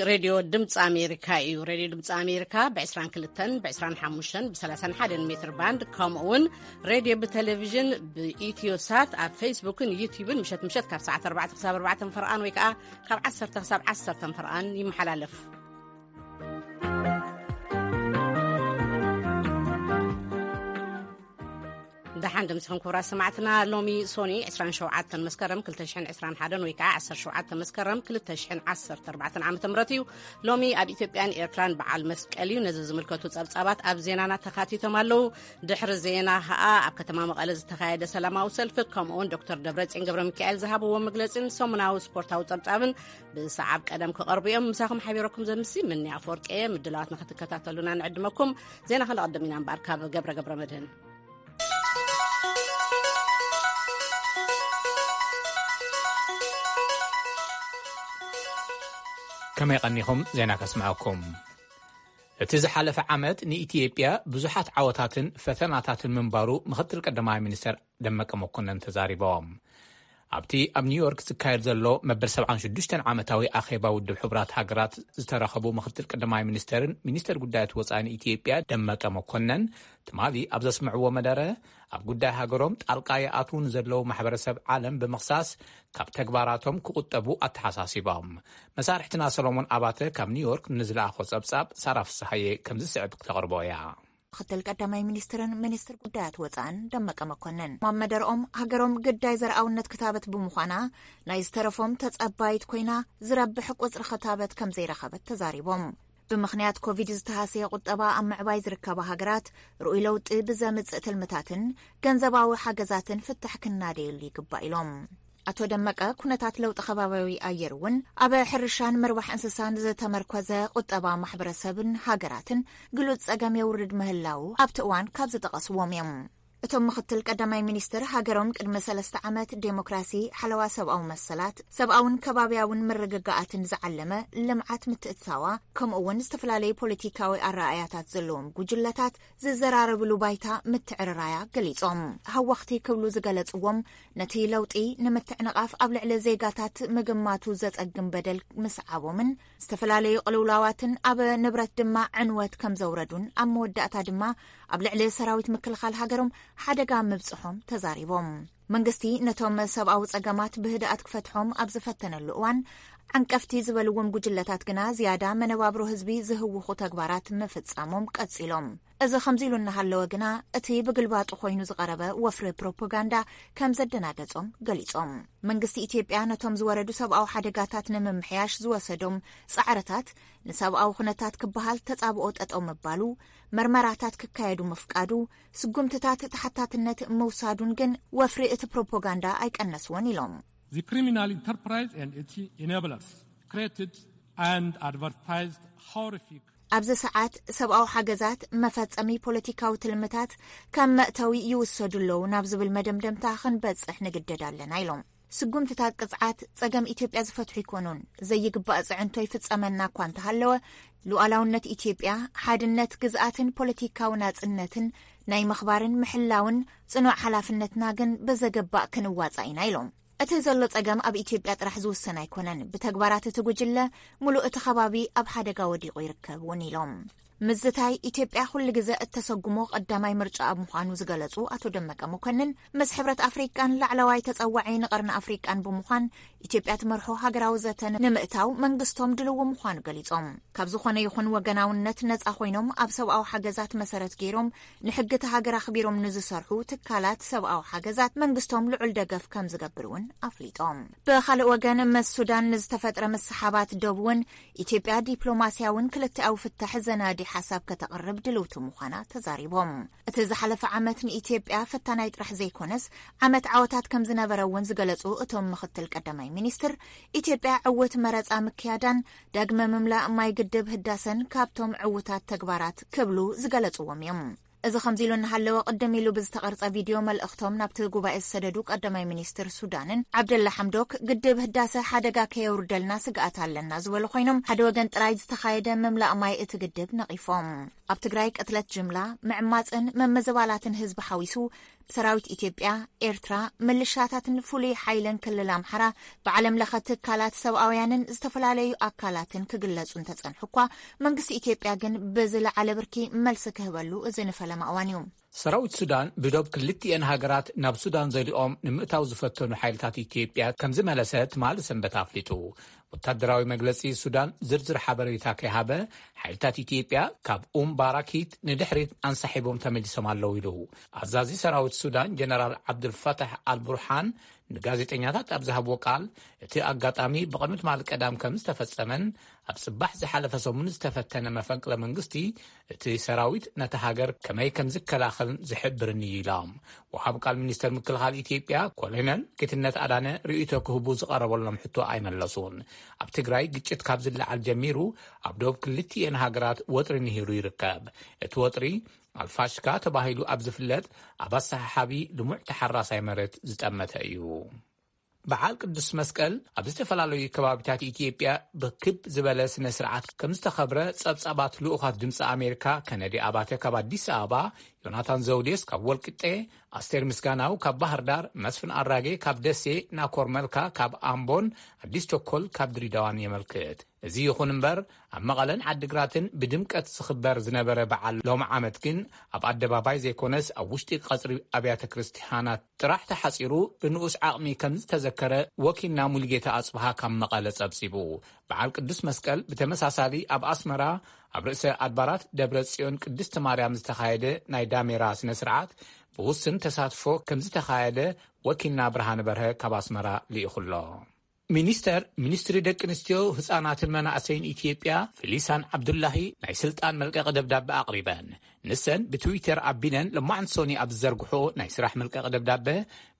ሬድዮ ድምፂ ኣሜሪካ እዩ። ሬድዮ ድምፂ ኣሜሪካ ብ22፣ ብ25፣ ብ31 ሜትር ባንድ፣ ከምኡ እውን ሬድዮ ብቴሌቪዥን ብኢትዮ ሳት ኣብ ፌስቡክን ዩቲዩብን ምሸት ምሸት ካብ ሰዓት ኣርባዕተ ክሳብ ኣርባዕተ ፈርቓን ወይ ከዓ ካብ ዓሰርተ ክሳብ ዓሰርተ ፈርቓን ይመሓላለፍ። ደሓን ድምፅኹም ክቡራት ሰማዕትና። ሎሚ ሶኒ ዕስራን ሸውዓተን መስከረም ክልተ ሽሕን ዕስራን ሓደን ወይ ከዓ ዓሰርተ ሸውዓተ መስከረም ክልተ ሽሕን ዓሰርተ ኣርባዕተን ዓመተ ምህረት እዩ። ሎሚ ኣብ ኢትዮጵያን ኤርትራን በዓል መስቀል እዩ። ነዚ ዝምልከቱ ጸብጻባት ኣብ ዜናና ተኻቲቶም ኣለዉ። ድሕሪ ዜና ኸኣ ኣብ ከተማ መቐለ ዝተኻየደ ሰላማዊ ሰልፊ፣ ከምኡውን ዶክተር ደብረጽዮን ገብረ ሚካኤል ዝሃብዎ መግለጺን ሰሙናዊ ስፖርታዊ ጸብጻብን ብሰዓብ ቀደም ክቐርቡ እዮም። ምሳኹም ሓቢረኩም ዘምሲ ምኒ ኣፈወርቂ እየ። ምድላዋት ንኽትከታተሉና ንዕድመኩም። ዜና ክንቐድም ኢና እምበኣር ካብ ገብረ ገብረ መድህን። ከመይ ቀኒኹም? ዜና ከስምዐኩም። እቲ ዝሓለፈ ዓመት ንኢትዮጵያ ብዙሓት ዓወታትን ፈተናታትን ምንባሩ ምኽትል ቀዳማይ ሚኒስተር ደመቀ መኮነን ተዛሪቦም። ኣብቲ ኣብ ኒውዮርክ ዝካየድ ዘሎ መበል ሰብዓን ሽዱሽተን ዓመታዊ ኣኼባ ውድብ ሕቡራት ሃገራት ዝተረኸቡ ምኽትል ቀዳማይ ሚኒስተርን ሚኒስተር ጉዳያት ወጻኢ ኢትዮጵያ ደመቀ መኮነን ትማሊ ኣብ ዘስምዕዎ መደረ፣ ኣብ ጉዳይ ሃገሮም ጣልቃ ይኣትዉ ንዘለዉ ማሕበረሰብ ዓለም ብምኽሳስ ካብ ተግባራቶም ክቑጠቡ ኣተሓሳሲቦም። መሳርሕትና ሰሎሞን ኣባተ ካብ ኒውዮርክ ንዝለኣኾ ጸብጻብ ሳራ ፍስሃየ ከምዚ ስዕብ ክተቕርቦ እያ። ምኽትል ቀዳማይ ሚኒስትርን ሚኒስትር ጉዳያት ወጻእን ደመቀ መኮንን ኣብ መደርኦም፣ ሃገሮም ግዳይ ዘርኣውነት ክታበት ብምዃና፣ ናይ ዝተረፎም ተጸባይት ኮይና፣ ዝረብሕ ቁጽሪ ክታበት ከም ዘይረኸበት ተዛሪቦም። ብምኽንያት ኮቪድ ዝተሃሰየ ቁጠባ ኣብ ምዕባይ ዝርከባ ሃገራት፣ ርኡይ ለውጢ ብዘምጽእ ትልምታትን ገንዘባዊ ሓገዛትን ፍታሕ ክናደየሉ ይግባእ ኢሎም። ኣቶ ደመቀ፣ ኩነታት ለውጢ ከባቢያዊ ኣየር እውን ኣብ ሕርሻን ምርባሕ እንስሳን ዝተመርኮዘ ቁጠባ ማሕበረሰብን ሃገራትን ግሉጽ ጸገም የውርድ ምህላዉ ኣብቲ እዋን ካብ ዝጠቐስዎም እዮም። እቶም ምኽትል ቀዳማይ ሚኒስትር፣ ሃገሮም ቅድሚ ሰለስተ ዓመት ዴሞክራሲ፣ ሓለዋ ሰብኣዊ መሰላት፣ ሰብኣውን ከባቢያውን ምርግጋኣትን ዝዓለመ ልምዓት ምትእትታዋ፣ ከምኡ እውን ዝተፈላለዩ ፖለቲካዊ ኣረኣእያታት ዘለዎም ጉጅለታት ዝዘራረብሉ ባይታ ምትዕርራያ ገሊጾም። ሃወኽቲ ክብሉ ዝገለጽዎም፣ ነቲ ለውጢ ንምትዕንቓፍ ኣብ ልዕሊ ዜጋታት ምግማቱ ዘጸግም በደል ምስዓቦምን ዝተፈላለዩ ቅልውላዋትን ኣብ ንብረት ድማ ዕንወት ከም ዘውረዱን ኣብ መወዳእታ ድማ ኣብ ልዕሊ ሰራዊት ምክልኻል ሃገሮም ሓደጋ ምብጽሖም ተዛሪቦም። መንግስቲ ነቶም ሰብኣዊ ጸገማት ብህድኣት ክፈትሖም ኣብ ዝፈተነሉ እዋን፣ ዓንቀፍቲ ዝበልዎም ጉጅለታት ግና ዝያዳ መነባብሮ ህዝቢ ዝህውኹ ተግባራት ምፍጻሞም ቀጺሎም። እዚ ከምዚ ኢሉ እናሃለወ ግና፣ እቲ ብግልባጡ ኮይኑ ዝቐረበ ወፍሪ ፕሮፓጋንዳ ከም ዘደናገጾም ገሊጾም። መንግስቲ ኢትዮጵያ ነቶም ዝወረዱ ሰብኣዊ ሓደጋታት ንምምሕያሽ ዝወሰዶም ጻዕርታት፣ ንሰብኣዊ ኩነታት ክበሃል ተጻብኦ ጠጠው ምባሉ፣ መርመራታት ክካየዱ ምፍቃዱ፣ ስጉምትታት ተሓታትነት ምውሳዱን ግን ወፍሪ እቲ ፕሮፓጋንዳ ኣይቀነስዎን ኢሎም። The criminal enterprise and its enablers created and advertised horrific ኣብዚ ሰዓት ሰብኣዊ ሓገዛት መፈጸሚ ፖለቲካዊ ትልምታት ከም መእተዊ ይውሰዱ ኣለዉ ናብ ዝብል መደምደምታ ክንበጽሕ ንግደድ ኣለና ኢሎም። ስጉምትታት ቅጽዓት ጸገም ኢትዮጵያ ዝፈትሑ ኣይኮኑን። ዘይግባእ ጽዕንቶ ይፍጸመና እኳ እንተሃለወ፣ ሉዓላውነት ኢትዮጵያ፣ ሓድነት ግዝኣትን ፖለቲካዊ ናጽነትን ናይ ምኽባርን ምሕላውን ጽኑዕ ሓላፍነትና ግን ብዘገባእ ክንዋጻእ ኢና ኢሎም። እቲ ዘሎ ጸገም ኣብ ኢትዮጵያ ጥራሕ ዝውሰን ኣይኮነን። ብተግባራት እቲ ጉጅለ፣ ምሉእ እቲ ከባቢ ኣብ ሓደጋ ወዲቑ ይርከብ እውን ኢሎም። ምዝታይ ኢትዮጵያ ኩሉ ግዘ እተሰጉሞ ቀዳማይ ምርጫ ኣብ ምዃኑ ዝገለጹ ኣቶ ደመቀ መኮንን፣ ምስ ሕብረት ኣፍሪቃን ላዕለዋይ ተጸዋዒ ንቐርኒ ኣፍሪቃን ብምዃን ኢትዮጵያ ትመርሖ ሃገራዊ ዘተ ንምእታው መንግስቶም ድልው ምዃኑ ገሊጾም። ካብ ዝኾነ ይኹን ወገናውነት ነጻ ኮይኖም ኣብ ሰብኣዊ ሓገዛት መሰረት ገይሮም ንሕጊ እቲ ሃገር ኣኽቢሮም ንዝሰርሑ ትካላት ሰብኣዊ ሓገዛት መንግስቶም ልዑል ደገፍ ከም ዝገብር እውን ኣፍሊጦም። ብኻልእ ወገን፣ ምስ ሱዳን ንዝተፈጥረ ምስሓባት ዶብ እውን ኢትዮጵያ ዲፕሎማስያውን ክልተኣዊ ፍታሕ ዘናዲ ሓሳብ ከተቕርብ ድልውቲ ምዃና ተዛሪቦም። እቲ ዝሓለፈ ዓመት ንኢትዮጵያ ፈታናይ ጥራሕ ዘይኮነስ፣ ዓመት ዓወታት ከም ዝነበረ እውን ዝገለጹ እቶም ምኽትል ቀዳማይ ሚኒስትር፣ ኢትዮጵያ ዕውት መረጻ ምክያዳን ዳግመ ምምላእ ማይ ግድብ ህዳሰን ካብቶም ዕውታት ተግባራት ክብሉ ዝገለጽዎም እዮም። እዚ ከምዚ ኢሉ እናሃለወ፣ ቅድም ኢሉ ብዝተቐርጸ ቪድዮ መልእኽቶም ናብቲ ጉባኤ ዝሰደዱ ቀዳማይ ሚኒስትር ሱዳንን ዓብደላ ሓምዶክ፣ ግድብ ህዳሰ ሓደጋ ከየውርደልና ስግኣት ኣለና ዝበሉ ኮይኖም፣ ሓደ ወገን ጥራይ ዝተኻየደ ምምላእ ማይ እቲ ግድብ ነቒፎም። ኣብ ትግራይ ቅትለት ጅምላ፣ ምዕማጽን ምምዝባላትን ህዝቢ ሓዊሱ ሰራዊት ኢትዮጵያ፣ ኤርትራ፣ ምልሻታትን ፍሉይ ሓይልን ክልል ኣምሓራ ብዓለም ለኸ ትካላት ሰብኣውያንን ዝተፈላለዩ ኣካላትን ክግለጹ እንተጸንሑ እኳ፣ መንግስቲ ኢትዮጵያ ግን ብዝለዓለ ብርኪ መልሲ ክህበሉ እዚ ንፈለማ እዋን እዩ። ሰራዊት ሱዳን ብዶብ ክልቲኤን ሃገራት ናብ ሱዳን ዘሊኦም ንምእታው ዝፈተኑ ሓይልታት ኢትዮጵያ ከም ዝመለሰ ትማሊ ሰንበት ኣፍሊጡ። ወታደራዊ መግለጺ ሱዳን ዝርዝር ሓበሬታ ከይሃበ፣ ሓይልታት ኢትዮጵያ ካብ ኡም ባራኪት ንድሕሪት ኣንሳሒቦም ተመሊሶም ኣለዉ ኢሉ። ኣዛዚ ሰራዊት ሱዳን ጀነራል ዓብዱልፈታሕ ኣልቡርሃን ንጋዜጠኛታት ኣብ ዝሃብዎ ቃል፣ እቲ ኣጋጣሚ ብቕድሚ ትማሊ ቀዳም ከም ዝተፈጸመን ኣብ ጽባሕ ዝሓለፈ ሰሙን ዝተፈተነ መፈንቅለ መንግስቲ እቲ ሰራዊት ነታ ሃገር ከመይ ከም ዝከላኸልን ዝሕብርን እዩ ኢሎም። ወሃብ ቃል ሚኒስተር ምክልኻል ኢትዮጵያ ኮሎኔል ጌትነት ኣዳነ ርእይቶ ክህቡ ዝቐረበሎም ሕቶ ኣይመለሱን። ኣብ ትግራይ ግጭት ካብ ዝለዓል ጀሚሩ ኣብ ዶብ ክልቲኤን ሃገራት ወጥሪ ንሂሩ ይርከብ። እቲ ወጥሪ ኣልፋሽካ ተባሂሉ ኣብ ዝፍለጥ ኣብ ኣሰሓሓቢ ልሙዕ ተሓራሳይ መሬት ዝጠመተ እዩ። በዓል ቅዱስ መስቀል ኣብ ዝተፈላለዩ ከባቢታት ኢትዮጵያ ብክብ ዝበለ ስነ ስርዓት ከም ዝተኸብረ ጸብጻባት ልኡኻት ድምፂ ኣሜሪካ ከነዲ ኣባተ ካብ ኣዲስ ኣበባ፣ ዮናታን ዘውዴስ ካብ ወልቂጤ፣ ኣስቴር ምስጋናው ካብ ባህር ዳር፣ መስፍን ኣራጌ ካብ ደሴ፣ ናኮር መልካ ካብ ኣምቦን ኣዲስ ቸኮል ካብ ድሪዳዋን የመልክት። እዚ ይኹን እምበር፣ ኣብ መቐለን ዓዲግራትን ብድምቀት ዝኽበር ዝነበረ በዓል ሎም ዓመት ግን ኣብ ኣደባባይ ዘይኮነስ ኣብ ውሽጢ ቀጽሪ ኣብያተ ክርስትያናት ጥራሕ ተሓጺሩ ብንኡስ ዓቕሚ ከም ዝተዘከረ ወኪልና ሙሉጌታ ኣጽብሃ ካብ መቐለ ጸብጺቡ። በዓል ቅዱስ መስቀል ብተመሳሳሊ ኣብ ኣስመራ ኣብ ርእሰ ኣድባራት ደብረ ጽዮን ቅድስቲ ማርያም ዝተኻየደ ናይ ዳሜራ ስነ ስርዓት ብውስን ተሳትፎ ከም ዝተኻየደ ወኪልና ብርሃነ በርሀ ካብ ኣስመራ ልኢኹ ኣሎ። ሚኒስተር ሚኒስትሪ ደቂ ኣንስትዮ፣ ህጻናትን መናእሰይን ኢትዮጵያ ፊሊሳን ዓብዱላሂ ናይ ስልጣን መልቀቂ ደብዳበ ኣቕሪበን። ንሰን ብትዊተር ኣቢለን ለማዕንቲ ሶኒ ኣብ ዝዘርግሖ ናይ ስራሕ መልቀቂ ደብዳበ፣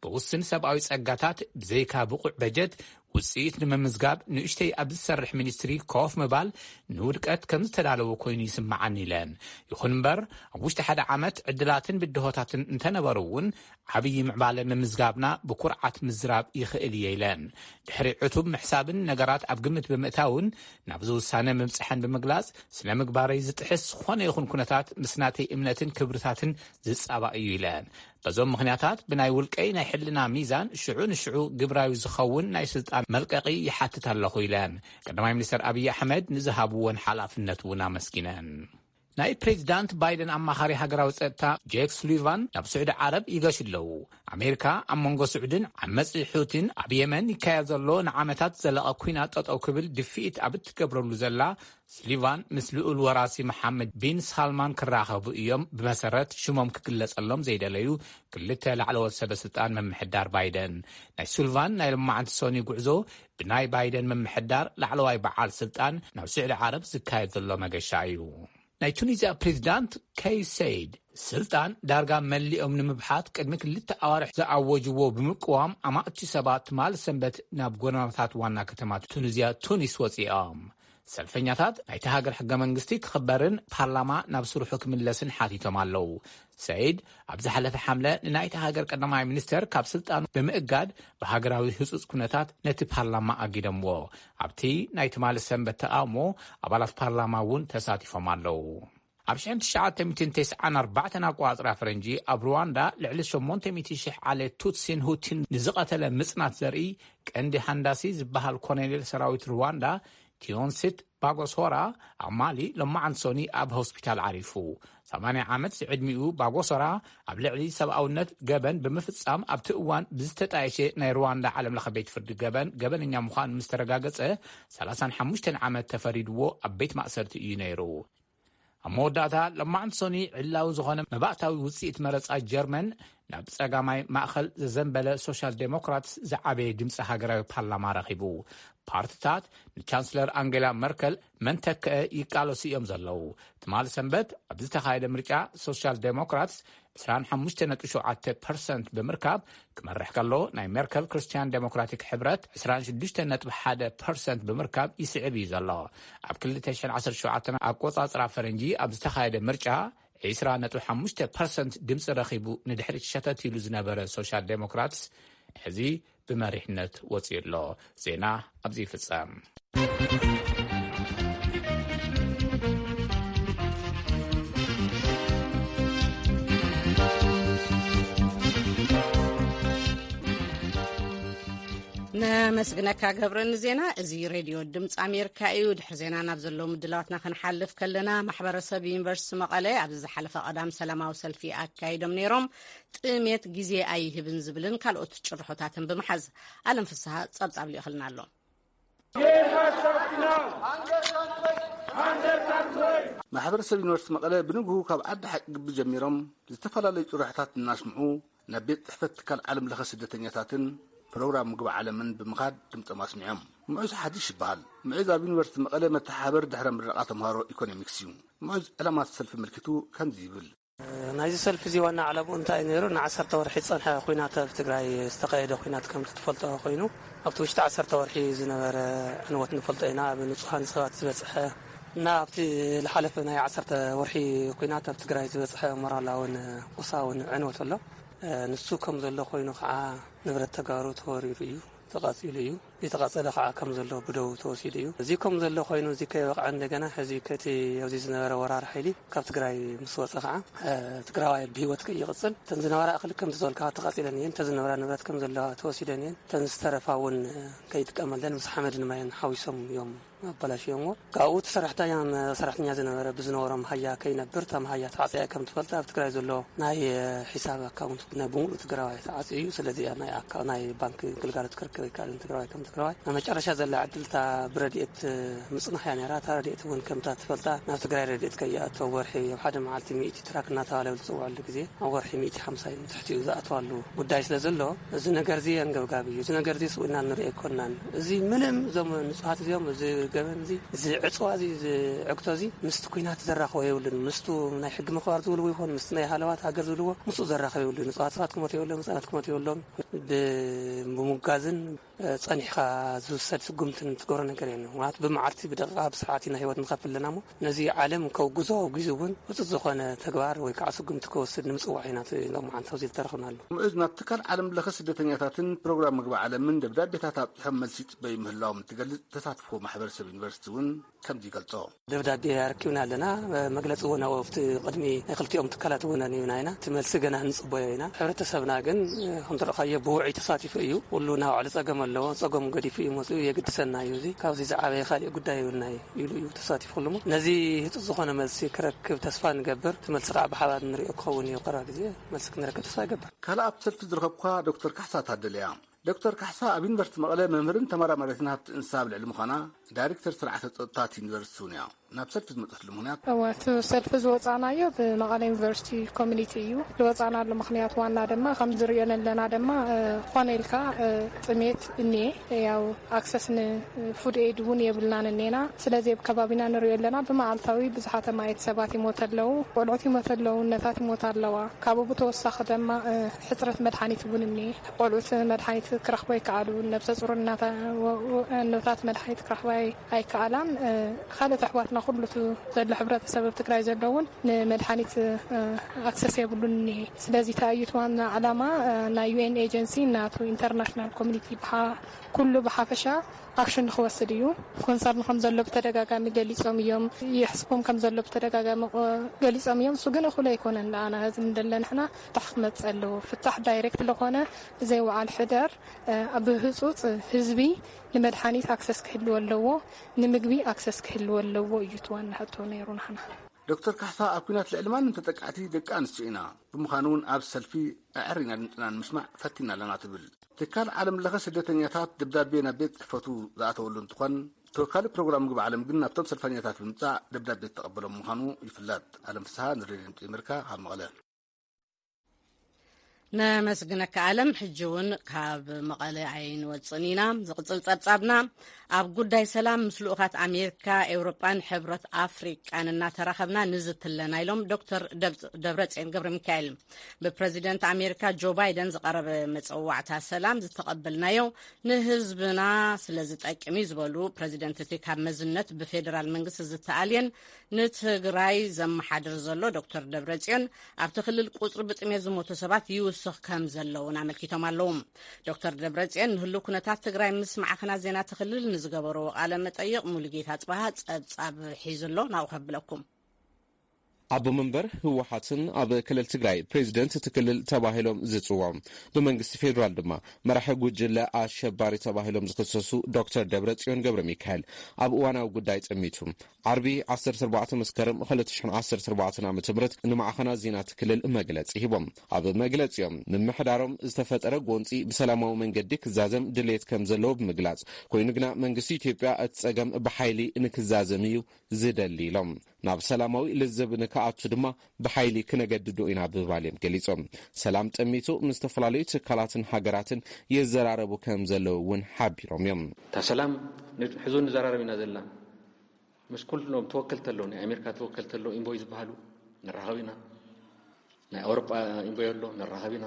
ብውስን ሰብኣዊ ጸጋታት ብዘይካ ብቑዕ በጀት ውጽኢት ንምምዝጋብ ንእሽተይ ኣብ ዝሰርሕ ሚኒስትሪ ኮፍ ምባል ንውድቀት ከም ዝተዳለወ ኮይኑ ይስምዓኒ ኢለን። ይኹን እምበር ኣብ ውሽጢ ሓደ ዓመት ዕድላትን ብድሆታትን እንተነበሩ እውን ዓብዪ ምዕባለ ምምዝጋብና ብኩርዓት ምዝራብ ይኽእል እየ ኢለን። ድሕሪ ዕቱብ ምሕሳብን ነገራት ኣብ ግምት ብምእታውን ናብዚ ውሳነ ምብፅሐን ብምግላፅ፣ ስነ ምግባረይ ዝጥሕስ ዝኾነ ይኹን ኩነታት ምስ ናተይ እምነትን ክብርታትን ዝፃባእ እዩ ኢለን። በዞም ምኽንያታት ብናይ ውልቀይ ናይ ሕልና ሚዛን ሽዑ ንሽዑ ግብራዊ ዝኸውን ናይ ስልጣን መልቀቂ ይሓትት ኣለኹ ኢለን። ቀዳማይ ሚኒስትር ኣብይ ኣሕመድ ንዝሃብወን ሓላፍነት እውን ኣመስጊነን። ናይ ፕሬዚዳንት ባይደን ኣማኻሪ ሃገራዊ ጸጥታ ጄክ ሱሊቫን ናብ ስዑዲ ዓረብ ይገሹ ኣለዉ። ኣሜሪካ ኣብ መንጎ ስዑድን ዓመጺ ሑቲን ኣብ የመን ይካየድ ዘሎ ንዓመታት ዘለቐ ኲናት ጠጠው ክብል ድፍኢት ኣብ እትገብረሉ ዘላ፣ ሱሊቫን ምስ ልኡል ወራሲ መሓመድ ቢን ሳልማን ክራኸቡ እዮም፣ ብመሰረት ሽሞም ክግለጸሎም ዘይደለዩ ክልተ ላዕለዎት ሰበ ስልጣን ምምሕዳር ባይደን። ናይ ሱሊቫን ናይ ሎማዓንቲ ሶኒ ጉዕዞ ብናይ ባይደን ምምሕዳር ላዕለዋይ በዓል ስልጣን ናብ ስዑዲ ዓረብ ዝካየድ ዘሎ መገሻ እዩ። ናይ ቱኒዝያ ፕሬዚዳንት ከይስ ሰይድ፣ ስልጣን ዳርጋ መሊኦም ንምብሓት ቅድሚ ክልተ ኣዋርሕ ዝኣወጅዎ ብምቅዋም፣ ኣማእቲ ሰባት ትማሊ ሰንበት ናብ ጎደናታት ዋና ከተማ ቱኒዝያ ቱኒስ ወጺኦም። ሰልፈኛታት ናይቲ ሃገር ሕገ መንግስቲ ክኽበርን ፓርላማ ናብ ስርሑ ክምለስን ሓቲቶም ኣለዉ። ሰይድ ኣብ ዝሓለፈ ሓምለ ንናይቲ ሃገር ቀዳማይ ሚኒስተር ካብ ስልጣኑ ብምእጋድ፣ ብሃገራዊ ህጹጽ ኩነታት ነቲ ፓርላማ ኣጊደምዎ። ኣብቲ ናይ ትማሊ ሰንበት ተቓውሞ፣ ኣባላት ፓርላማ እውን ተሳቲፎም ኣለዉ። ኣብ ሽሕን ትሽዓተ ሚእትን ተስዓን ኣርባዕተን ኣቆጻጽራ ፈረንጂ፣ ኣብ ሩዋንዳ ልዕሊ ሸሞንተ ሚእቲ ሽሕ ዓሌት ቱትሲን ሁቲን ንዝቐተለ ምጽናት ዘርኢ፣ ቀንዲ ሃንዳሲ ዝበሃል ኮሎኔል ሰራዊት ሩዋንዳ፣ ቲዮንሲት ባጎሶራ፣ ኣብ ማሊ ሎማዓንቲ ሶኒ ኣብ ሆስፒታል ዓሪፉ። ሰማንያ ዓመት ዝዕድሚኡ ባጎሶራ፣ ኣብ ልዕሊ ሰብኣውነት ገበን ብምፍጻም ኣብቲ እዋን ብዝተጣየሸ ናይ ሩዋንዳ ዓለምለኸ ቤት ፍርዲ ገበን፣ ገበነኛ ምዃኑ ምስ ተረጋገጸ፣ ሰላሳን ሓሙሽተን ዓመት ተፈሪድዎ ኣብ ቤት ማእሰርቲ እዩ ነይሩ። ኣብ መወዳእታ፣ ሎማዓንቲ ሶኒ ዕላዊ ዝኾነ መባእታዊ ውጽኢት መረጻ ጀርመን ናብ ጸጋማይ ማእከል ዘዘንበለ ሶሻል ዴሞክራትስ ዝዓበየ ድምጺ ሃገራዊ ፓርላማ ረኺቡ። ፓርትታት ንቻንስለር ኣንጌላ መርከል መን ተክአ ይቃለሱ እዮም ዘለዉ። ትማሊ ሰንበት ኣብ ዝተኻየደ ምርጫ፣ ሶሻል ዴሞክራትስ ዕስራን ሓሙሽተ ነጥቢ ሸውዓተ ፐርሰንት ብምርካብ ክመርሕ ከሎ፣ ናይ ሜርከል ክርስትያን ዴሞክራቲክ ሕብረት ዕስራን ሽዱሽተ ነጥቢ ሓደ ፐርሰንት ብምርካብ ይስዕብ እዩ ዘሎ። ኣብ ክልተ ሽሕን ዓሰርተ ሸውዓተን ኣቆጻጽራ ፈረንጂ ኣብ ዝተኻየደ ምርጫ፣ ዕስራ ነጥቢ ሓሙሽተ ፐርሰንት ድምጺ ረኺቡ ንድሕሪት ሸተት ኢሉ ዝነበረ ሶሻል ዴሞክራትስ፣ ሕዚ ብመሪሕነት ወጺኡ ኣሎ። ዜና ኣብዚ ይፍጸም። ኣመስግነካ ገብረ ንዜና። እዚ ሬድዮ ድምፂ ኣሜሪካ እዩ። ድሕሪ ዜና ናብ ዘለዉ ምድላዋትና ክንሓልፍ ከለና፣ ማሕበረሰብ ዩኒቨርሲቲ መቐለ ኣብዚ ዝሓለፈ ቀዳም ሰላማዊ ሰልፊ ኣካይዶም ነይሮም። ጥሜት ግዜ ኣይህብን ዝብልን ካልኦት ጭርሖታትን ብምሓዝ ኣለም ፍስሃ ጸብጻብ ልኢኽልና ኣሎ። ማሕበረሰብ ዩኒቨርሲቲ መቐለ ብንግሁ ካብ ዓዲ ሓቂ ግቢ ጀሚሮም ዝተፈላለዩ ጭርሖታት እናስምዑ ናብ ቤት ጽሕፈት ትካል ዓለም ለኸ ስደተኛታትን ፕሮግራም ምግቢ ዓለምን ብምኻድ ድምፆም ኣስሚዖም። ምዑዝ ሓድሽ ይበሃል። ምዑዝ ኣብ ዩኒቨርሲቲ መቐለ መተሓባበሪ ድሕረ ምረቓ ተምሃሮ ኢኮኖሚክስ እዩ። ምዑዝ ዕላማት ሰልፊ ምልኪቱ ከምዚ ይብል። ናይዚ ሰልፊ እዚ ዋና ዓላምኡ እንታይ እዩ ነይሩ? ንዓሰርተ ወርሒ ዝፀንሐ ኲናት ኣብ ትግራይ ዝተኻየደ ኲናት ከምቲ ትፈልጦ ኮይኑ ኣብቲ ውሽጢ ዓሰርተ ወርሒ ዝነበረ ዕንወት ንፈልጦ ኢና። ኣብ ንጹሃን ሰባት ዝበፅሐ እና ኣብቲ ዝሓለፈ ናይ ዓሰርተ ወርሒ ኲናት ኣብ ትግራይ ዝበፅሐ ሞራላውን ቁሳውን ዕንወት ኣሎ። ንሱ ከም ዘሎ ኮይኑ ከዓ ንብረት ተጋሩ ተወሪሩ እዩ፣ ተቃፂሉ እዩ። ዝተቃፀለ ከዓ ከም ዘሎ ብደው ተወሲዱ እዩ። እዚ ከም ዘሎ ኮይኑ እዚ ከይበቅዐ እንደገና ሕዚ ከቲ ኣብዚ ዝነበረ ወራር ሓይሊ ካብ ትግራይ ምስ ወፀ ከዓ ትግራዋይ ብሂወት ከይቅፅል እተን ዝነበራ እክሊ ከም ዝበልካ ተቃፂለን እየን። እተን ዝነበራ ንብረት ከም ዘለዋ ተወሲደን እየን። እተን ዝተረፋ እውን ከይጥቀመለን ምስ ሓመድን ማይን ሓዊሶም እዮም ኣበላሽዮምዎ። ካብኡ እቲ ሰራሕተኛ ሰራሕተኛ ዝነበረ ብዝነበሮም ሃያ ከይነብር እታ ሃያ ተዓፅያ ከም ትፈልጥ ኣብ ትግራይ ዘሎ ናይ ሒሳብ ኣካውንት ናይ ብምሉእ ትግራዋይ ተዓፅዩ እዩ። ስለዚ ናይ ኣካ ናይ ባንክ ግልጋሎት ክረክብ ኣይከኣልን ትግራዋይ ከም ትግራዋይ። ኣብ መጨረሻ ዘላ ዕድል እታ ብረድኤት ምፅናሕ እያ ነይራ። እታ ረድኤት እውን ከምታ ትፈልጣ ናብ ትግራይ ረድኤት ከይኣቶ ወርሒ ኣብ ሓደ መዓልቲ ሚእቲ ትራክ እናተባለ ዝፅውዐሉ ግዜ ኣብ ወርሒ ሚእቲ ሓምሳ እዩ ንትሕቲኡ ዝኣተዋሉ ጉዳይ ስለ ዘሎ እዚ ነገር እዚ ኣንገብጋቢ እዩ። እዚ ነገር እዚ ስውእና ንሪኦ ኣይኮናን። እዚ ምንም እዞም ንፁሃት እዚኦም እዚ ገበን እዚ እዚ ዕፅዋ እዚ እዚ ዕግቶ እዚ ምስቲ ኩናት ዘራኽቦ የብሉን። ምስቱ ናይ ሕጊ ምኽባር ዝብልዎ ይኹን ምስቲ ናይ ሃለዋት ሃገር ዝብልዎ ምስኡ ዘራኽብ የብሉን። ንፁሃት ሰባት ክሞት የብሎም፣ ህፃናት ክሞት የብሎም። ብምጉጋዝን ጸኒሕኻ ዝውሰድ ስጉምትን ትገብሮ ነገር የለን። ምክንያቱ ብመዓልቲ ብደቂቃ ብሰዓት ኢና ህይወት ንኸፍል ኣለና እሞ ነዚ ዓለም ከውግዞ ኣውጊዙ እውን ውፅት ዝኾነ ተግባር ወይ ከዓ ስጉምቲ ክወስድ ንምፅዋዕ ኢና ሎማዓንቲ ኣብዚ ዝተረኽብናሉ። ምዑዝ ናብ ትካል ዓለም ለኸ ስደተኛታትን ፕሮግራም ምግቢ ዓለምን ደብዳቤታት ኣብፂሖም መልሲ ይፅበዩ ምህላዎም እንትገልፅ ተሳትፎ ማሕበረሰብ ዩኒቨርሲቲ እውን ከምዚ ይገልፆ። ደብዳቤ ኣረኪብና ኣለና። መግለፂ እውን ኣብኡ ኣብቲ ቅድሚ ናይ ክልቲኦም ትካላት እውን ኣንቢብና ኢና። እቲ መልሲ ገና ንፅበዮ ኢና። ሕብረተሰብና ግን ከም ዝረእኻዮ ብውዑይ ተሳቲፉ እዩ። ኩሉ ናይ ባዕሉ ፀገም ኣለዎ። ፀገሙ ገዲፉ እዩ መፅኡ። የግድሰና እዩ እዚ። ካብዚ ዝዓበየ ካሊእ ጉዳይ የብልናይ ኢሉ እዩ ተሳቲፉ ኩሉ እሞ ነዚ ህፁፅ ዝኾነ መልሲ ክረክብ ተስፋ ንገብር። እቲ መልሲ ከዓ ብሓባር ንሪኦ ክኸውን እዩ። ቀረባ ግዜ መልሲ ክንረክብ ተስፋ ይገብር። ካልእ ኣብቲ ሰልፊ ዝረኸብኩዋ ዶክተር ካሕሳ ታደለ እያ። ዶክተር ካሕሳ ኣብ ዩኒቨርሲቲ መቐለ መምህርን ተመራማሪትን ሃብቲ እንስሳ ኣብ ልዕሊ ምዃና ዳይሬክተር ስርዓተ ፀጥታ እቲ ዩኒቨርሲቲ እውን እያ። ናብ ሰልፊ ዝመፀትሉ ምኽንያት እወ እቲ ሰልፊ ዝወፃእናዮ ብመቐለ ዩኒቨርሲቲ ኮሚኒቲ እዩ። ዝወፃእናሉ ምኽንያት ዋና ድማ ከም ዝሪኦ ዘለና ድማ ዝኾነ ኢልካ ጥሜት እኒኤ ያው ኣክሰስ ንፉድ ኤድ እውን የብልናን እኒኤና። ስለዚ ኣብ ከባቢና ንሪኦ ኣለና ብመዓልታዊ ብዙሓት ኣማየት ሰባት ይሞት ኣለዉ፣ ቆልዑት ይሞት ኣለዉ፣ እነታት ይሞት ኣለዋ። ካብኡ ብተወሳኺ ድማ ሕፅረት መድሓኒት እውን እኒኤ። ቆልዑት መድሓኒት ክረኽቡ ኣይከኣሉን፣ ነብሰ ፁር እነታት መድሓኒት ክረኽባ ኣይከኣላን። ካልኦት ኣሕዋትና ኩሉ እቲ ዘሎ ሕብረተሰብ ኣብ ትግራይ ዘሎ እውን ንመድሓኒት ኣክሰስ የብሉን እኒሄ። ስለዚ ተኣዩት ዋና ዓላማ ናይ ዩኤን ኤጀንሲ ናቱ ኢንተርናሽናል ኮሚኒቲ ኩሉ ብሓፈሻ ኣክሽን ንክወስድ እዩ። ኮንሰርን ከም ዘሎ ብተደጋጋሚ ገሊፆም እዮም። የሕስቦም ከም ዘሎ ብተደጋጋሚ ገሊፆም እዮም። እሱ ግን እኹል ኣይኮነን። ንኣና ህዝቢ እንደለ ንሕና ፍታሕ ክመፅእ ኣለዎ። ፍታሕ ዳይሬክት ለኾነ ዘይወዓል ሕደር ብህፁፅ ህዝቢ ንመድሓኒት ኣክሰስ ክህልዎ ኣለዎ፣ ንምግቢ ኣክሰስ ክህልዎ ኣለዎ እዩ እቲ ዋና ሕቶ ነይሩ ናህና። ዶክተር ካሕሳ ኣብ ኲናት ልዕሊ ማንም ተጠቃዕቲ ደቂ ኣንስትዮ ኢና ብምዃኑ እውን ኣብ ሰልፊ ኣዐሪና ድምፅና ንምስማዕ ፈቲና ኣለና ትብል። ትካል ዓለም ለኸ ስደተኛታት ደብዳቤ ናብ ቤት ፅሕፈቱ ዝኣተወሉ እንትኾን ተወካሊ ፕሮግራም ምግቢ ዓለም ግን ናብቶም ሰልፈኛታት ብምፃእ ደብዳቤ ዝተቐበሎም ምዃኑ ይፍለጥ። ኣለም ፍስሃ ንሬድዮ ድምፂ ኣሜሪካ ካብ መቐለ። ነመስግነካ ኣለም። ሕጂ እውን ካብ መቐለ ኣይንወፅን ኢና። ዝቕፅል ፀብፃብና ኣብ ጉዳይ ሰላም ምስ ልኡኻት ኣሜሪካ፣ ኤውሮጳን ሕብረት ኣፍሪቃን እናተራኸብና ንዝቲ ኣለና ኢሎም ዶክተር ደብረፅዮን ገብረ ሚካኤል። ብፕረዚደንት ኣሜሪካ ጆ ባይደን ዝቐረበ መፀዋዕታ ሰላም ዝተቐበልናዮ ንህዝብና ስለ ዝጠቅም እዩ ዝበሉ ፕረዚደንት እቲ ካብ መዝነት ብፌደራል መንግስቲ ዝተኣልየን ንትግራይ ዘመሓድር ዘሎ ዶክተር ደብረፅዮን ኣብቲ ክልል ቁፅሪ ብጥሜት ዝሞቱ ሰባት ይውስኽ ከም ዘለውን ኣመልኪቶም ኣለዉ። ዶክተር ደብረፅዮን ንህሉ ኩነታት ትግራይ ምስ ማዕኸናት ዜና እቲ ክልል ንዝገበርዎ ቃለ መጠይቕ ሙሉጌታ ፅባሃ ፀብፃብ ሒዙ ኣሎ። ናብኡ ከብለኩም። ኣቦ መንበር ህወሓትን ኣብ ክልል ትግራይ ፕሬዚደንት እቲ ክልል ተባሂሎም ዝፅውዑ፣ ብመንግስቲ ፌዴራል ድማ መራሒ ጉጅለ ኣሸባሪ ተባሂሎም ዝኽሰሱ ዶክተር ደብረጽዮን ገብረ ሚካኤል ኣብ እዋናዊ ጉዳይ ጠሚቱ ዓርቢ ዓሰርተ ኣርባዕተ መስከረም ክልተ ሽሕን ዓሰርተ ኣርባዕተን ዓመተ ምህረት ንማዕኸናት ዜና እቲ ክልል መግለጺ ሂቦም። ኣብ መግለጺኦም ምምሕዳሮም ዝተፈጠረ ጎንጺ ብሰላማዊ መንገዲ ክዛዘም ድሌት ከም ዘለዎ ብምግላጽ፣ ኮይኑ ግና መንግስቲ ኢትዮጵያ እቲ ጸገም ብሓይሊ ንክዛዘም እዩ ዝደሊ ኢሎም። ናብ ሰላማዊ ልዝብ ንክኣቱ ድማ ብሓይሊ ክነገድዶ ኢና ብምባል እዮም ገሊጾም። ሰላም ጠሚቱ ምስ ዝተፈላለዩ ትካላትን ሃገራትን ይዘራረቡ ከም ዘለዉ እውን ሓቢሮም እዮም። እታ ሰላም ን-፣ ሕዚ እውን ንዘራረብ ኢና ዘለና። ምስ ኩሎም ተወከልቲ ኣለዉ፣ ናይ ኣሜሪካ ተወከልቲ ኣለዉ፣ ኢንቮይ ዝበሃሉ ንራኸብ ኢና። ናይ ኣውሮጳ ኢንቮይ ኣሎ፣ ንራኸብ ኢና።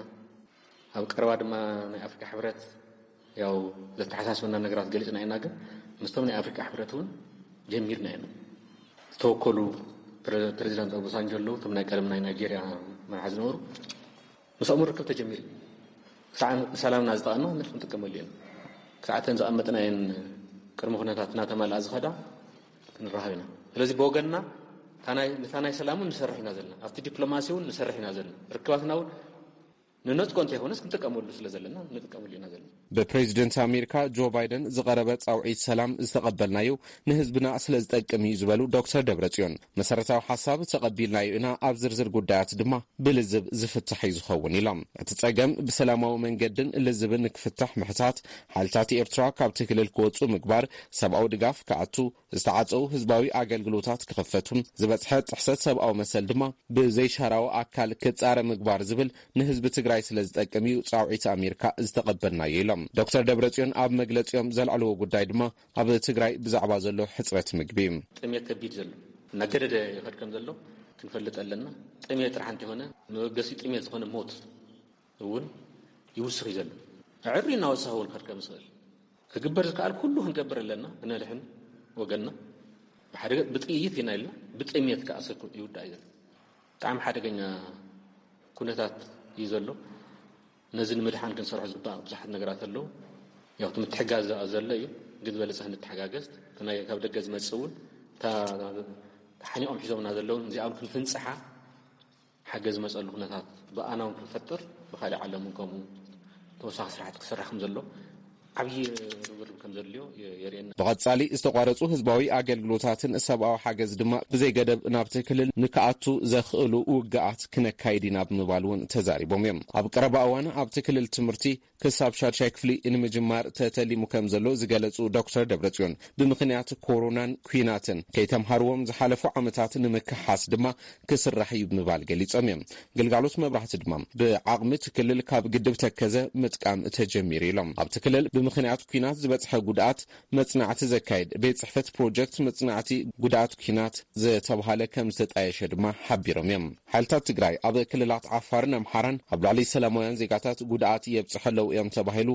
ኣብ ቀረባ ድማ ናይ ኣፍሪካ ሕብረት ያው ዘተሓሳስበና ነገራት ገሊጽና ኢና፣ ግን ምስቶም ናይ ኣፍሪካ ሕብረት እውን ጀሚርና ኢና። ዝተወከሉ ፕረ-፣ ፕሬዚዳንት ኦባሳንጆ ኣለዉ፣ እቶም ናይ ቀደም ናይ ናይጄርያ መራሒ ዝነበሩ፣ ምስኦም ርክብ ተጀሚሩ። ክሳዕ ሰላምና ዝጠቐና ክንጥቀመሉ ኢና። ክሳዕ እተን ዘቐመጥናየን ቅድሚ ኩነታት እናተማልኣ ዝኸዳ ክንራኸብ ኢና። ስለዚ ብወገንና እታ ናይ፣ ነታ ናይ ሰላም እውን ንሰርሕ ኢና ዘለና፣ ኣብቲ ዲፕሎማሲ እውን ንሰርሕ ኢና ዘለና። ርክባትና እውን ንነጽጎ እንተይኮነስ ክንጥቀመሉ ስለ ዘለና ንጥቀመሉ ኢና ዘለና። ብፕሬዚደንት ኣሜሪካ ጆ ባይደን ዝቐረበ ጻውዒት ሰላም ዝተቐበልናዮ ንህዝብና ስለ ዝጠቅም እዩ ዝበሉ ዶክተር ደብረጽዮን፣ መሰረታዊ ሓሳብ ተቐቢልናዮ ኢና፣ ኣብ ዝርዝር ጉዳያት ድማ ብልዝብ ዝፍታሕ እዩ ዝኸውን ኢሎም። እቲ ጸገም ብሰላማዊ መንገድን ልዝብን ክፍታሕ ምሕታት፣ ሓይልታት ኤርትራ ካብቲ ክልል ክወጹ ምግባር፣ ሰብኣዊ ድጋፍ ክኣቱ፣ ዝተዓጸዉ ህዝባዊ ኣገልግሎታት ክኽፈቱ፣ ዝበጽሐ ጥሕሰት ሰብኣዊ መሰል ድማ ብዘይሻራዊ ኣካል ክጻረ ምግባር ዝብል ንህዝቢ ትግራይ ስለ ዝጠቅም እዩ ጻውዒት ኣሜሪካ ዝተቐበልናዮ ኢሎም። ዶክተር ደብረጽዮን ኣብ መግለጺኦም ዘልዕልዎ ጉዳይ ድማ ኣብ ትግራይ ብዛዕባ ዘሎ ሕጽረት ምግቢ እዩ። ጥሜት ከቢድ ዘሎ እናገደደ ይኸድ ከም ዘሎ ክንፈልጥ ኣለና። ጥሜት ጥራሕ እንተይኮነ መበገሲ ጥሜት ዝኾነ ሞት እውን ይውስኽ እዩ ዘሎ። ኣዕሪ እናወሰኸ እውን ክርከብ ዝኽእል ክግበር ዝከኣል ኩሉ ክንገብር ኣለና። ክነድሕን ወገንና ብሓደ ገፅ ብጥይት ኢና ኢልና ብጥሜት ከዓ ሰብ ይውዳእ እዩ ዘሎ። ብጣዕሚ ሓደገኛ ኩነታት እዩ ዘሎ። ነዚ ንምድሓን ክንሰርሖ ዝግባእ ብዙሓት ነገራት ኣለዉ። ያው እቲ ምትሕጋዝ ዘሎ እዩ፣ ግን ዝበለፀ ክንተሓጋገዝ፣ እቲ ናይ ካብ ደገ ዝመፅእ እውን እታ ሓኒቖም ሒዞምና ዘለውን እዚኣም ክንፍንፅሓ ሓገዝ ዝመፀሉ ኩነታት ብኣና እውን ክንፈጥር ብካሊእ ዓለም እውን ከምኡ ተወሳኺ ስራሕቲ ክስራሕ ከም ዘሎ ዓብዪ ርብርብ ከም ዘድልዮ የርእየና። ብቐጻሊ ዝተቋረጹ ህዝባዊ ኣገልግሎታትን ሰብኣዊ ሓገዝ ድማ ብዘይ ገደብ ናብቲ ክልል ንክኣቱ ዘኽእሉ ውግኣት ክነካይድ ኢና ብምባል እውን ተዛሪቦም እዮም። ኣብ ቀረባ እዋን ኣብቲ ክልል ትምህርቲ ክሳብ ሻድሻይ ክፍሊ ንምጅማር ተተሊሙ ከም ዘሎ ዝገለጹ ዶክተር ደብረጽዮን፣ ብምኽንያት ኮሮናን ኲናትን ከይተምሃርዎም ዝሓለፉ ዓመታት ንምክሓስ ድማ ክስራሕ እዩ ብምባል ገሊጾም እዮም። ግልጋሎት መብራህቲ ድማ ብዓቕሚ እቲ ክልል ካብ ግድብ ተከዘ ምጥቃም ተጀሚሩ ኢሎም። ኣብቲ ክልል ብምኽንያት ኲናት ዝበጽሐ ጉድኣት መጽናዕቲ ዘካየድ ቤት ጽሕፈት ፕሮጀክት መጽናዕቲ ጉድኣት ኲናት ዝተብሃለ ከም ዝተጣየሸ ድማ ሓቢሮም እዮም። ሓይልታት ትግራይ ኣብ ክልላት ዓፋርን ኣምሓራን ኣብ ልዕሊ ሰላማውያን ዜጋታት ጉድኣት የብጽሑ ኣለዉ እዮም ተባሂሉ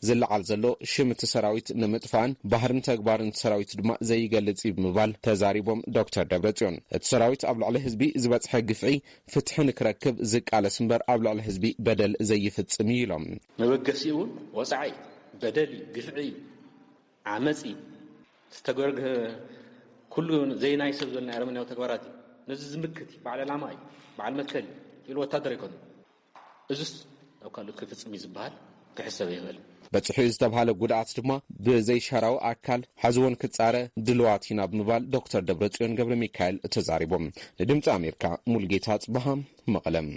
ዝለዓል ዘሎ ሽም እቲ ሰራዊት ንምጥፋእን ባህርን ተግባርን እቲ ሰራዊት ድማ ዘይገልጽ እዩ ብምባል ተዛሪቦም ዶክተር ደብረጽዮን። እቲ ሰራዊት ኣብ ልዕሊ ህዝቢ ዝበጽሐ ግፍዒ ፍትሒ ንክረክብ ዝቃለስ እምበር ኣብ ልዕሊ ህዝቢ በደል ዘይፍጽም እዩ ኢሎም። መበገሲኡ እውን ወጻዒ እዩ፣ በደል እዩ፣ ግፍዒ እዩ፣ ዓመፅ እዩ። ዝተገርገ ኩሉ ዘይናይ ሰብ ዘሎ ኣረመናዊ ተግባራት እዩ። ነዚ ዝምክት እዩ፣ በዓል ዕላማ እዩ፣ በዓል መትከል እዩ ኢሉ ወታደር ኣይኮነን። እዚስ ኣብ ካልኦት ክፍጽም እዩ ዝበሃል ክሕሰብ ኣይኽእልን። በጺሑ ዝተብሃለ ጉድኣት ድማ ብዘይሻራዊ ኣካል ሓዝዎን ክጻረ ድልዋት ኢና ብምባል ዶክተር ደብረጽዮን ገብረ ሚካኤል ተዛሪቦም። ንድምፂ ኣሜሪካ ሙልጌታ ጽበሃ መቐለም።